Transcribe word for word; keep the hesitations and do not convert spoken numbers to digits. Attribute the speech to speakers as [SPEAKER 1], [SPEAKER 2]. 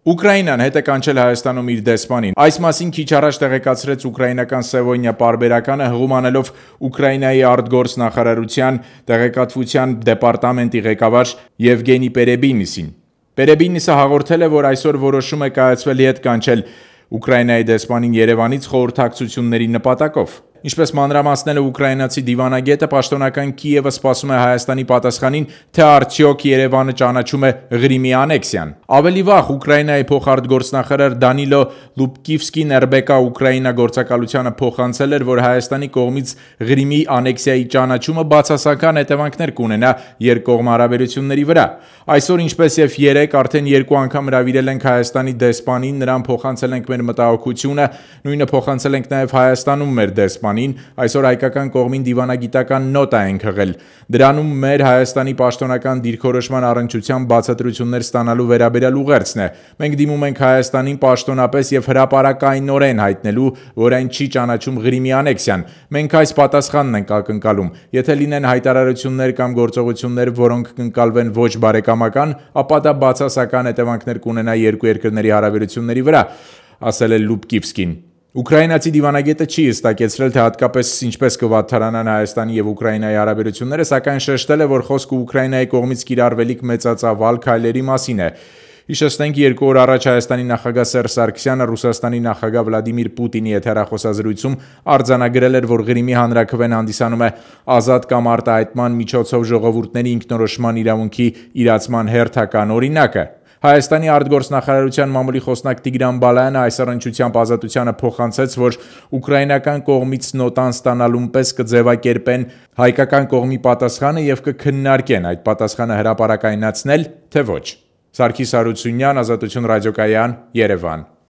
[SPEAKER 1] Ուկրաինան հետ է կանչել Հայաստանում իր դեսպանին։ Այս մասին քիչ առաջ տեղեկացրեց ուկրաինական Սևոնիա պարբերականը, հղում անելով Ուկրաինայի արտգործ նախարարության տեղեկատվության դեպարտամենտի ղեկավար Եվգենի Պերեբինիսին։ Պերեբինիսը հաղորդել է, որ այսօր որոշում է կայացվել հետ կանչել Ուկրաինայի դեսպանին Երևանից խորհրդակցությունների նպատակով։ Ինչպես մանրամասնել է ուկրաինացի դիվանագետը, պաշտոնական Կիևը սպասում է Հայաստանի պատասխանին, թե արդյոք Երևանը ճանաչում է Ղրիմի անեքսիան։ Ավելի վաղ Ուկրաինայի փոխարտգործնախարար Դանիլո Լուբկիվսկին Էրբեկա Ուկրաինա գործակալությանը փոխանցել էր, որ Հայաստանի կողմից Ղրիմի անեքսիայի ճանաչումը բացասական հետևանքներ կունենա երկկողմ հարաբերությունների վրա։ Այսօր, ինչպես եւ երեկ, արդեն երկու անգամ հրավիրել ենք Հայաստանի դեսպանին, նրան փոխանցել ենք մեր մտահոգությունը, նույնը փոխանցել ենք նաեւ Հայաստանում մեր դեսպանին, այսօր հայկական կողմին դիվանագիտական նոտա ենք հղել։ Դրանում մեր Հայաստանի պաշտոնական դիրքորոշման առնչությամբ բացատրություններ ստանալու վերաբերյալ ուղերձն է։ Մենք դիմում ենք Հայաստանին պաշտոնապես եւ հրապարակայնորեն հայտնելու, որ այն չի ճանաչում Ղրիմի անեքսիան։ Մենք այս պատասխանն ենք ակնկալում։ Եթե լինեն հայտարարություններ կամ գործողություններ, որոնք կընկալվեն ոչ բարեկամական, ապա դա բացասական հետևանքներ կունենա երկու երկրների հարաբերությունների վրա, ասել է Լուբկիվսկին։ Ուկրաինացի դիվանագետը չի հստակեցրել, թե հատկապես ինչպես կվատթարանան Հայաստանի եւ Ուկրաինայի հարաբերությունները, սակայն շեշտել է, որ խոսքը Ուկրաինայի կողմից կիրառվելիք մեծածավալ քայլերի մասին է։ Հիշեցնենք, երկու օր առաջ Հայաստանի նախագահ Սերժ Սարգսյանը Ռուսաստանի նախագահ Վլադիմիր Պուտինի հետ հեռախոսազրույցում արձանագրել էր, որ Ղրիմի հանրաքվեն հանդիսանում է ազատ կամ արտահայտման միջոցով ժողովուրդների ինքնորոշման իրավունքի իրացման հերթական օրինակը։ Հայաստանի արտգործնախարարության մամուլի խոսնակ Տիգրան Բալայանը այս առնչությամբ ազատությանը փոխանցեց, որ ուկրաինական կողմից նոտան ստանալուն պես կձևակերպեն հայկական կողմի պատասխանը եւ կքննարկեն այդ պատասխանը հրապարակայնացնել, թե ոչ։ Սարգիս Հարությունյան, Ազատություն ռադիոկայան, Երևան։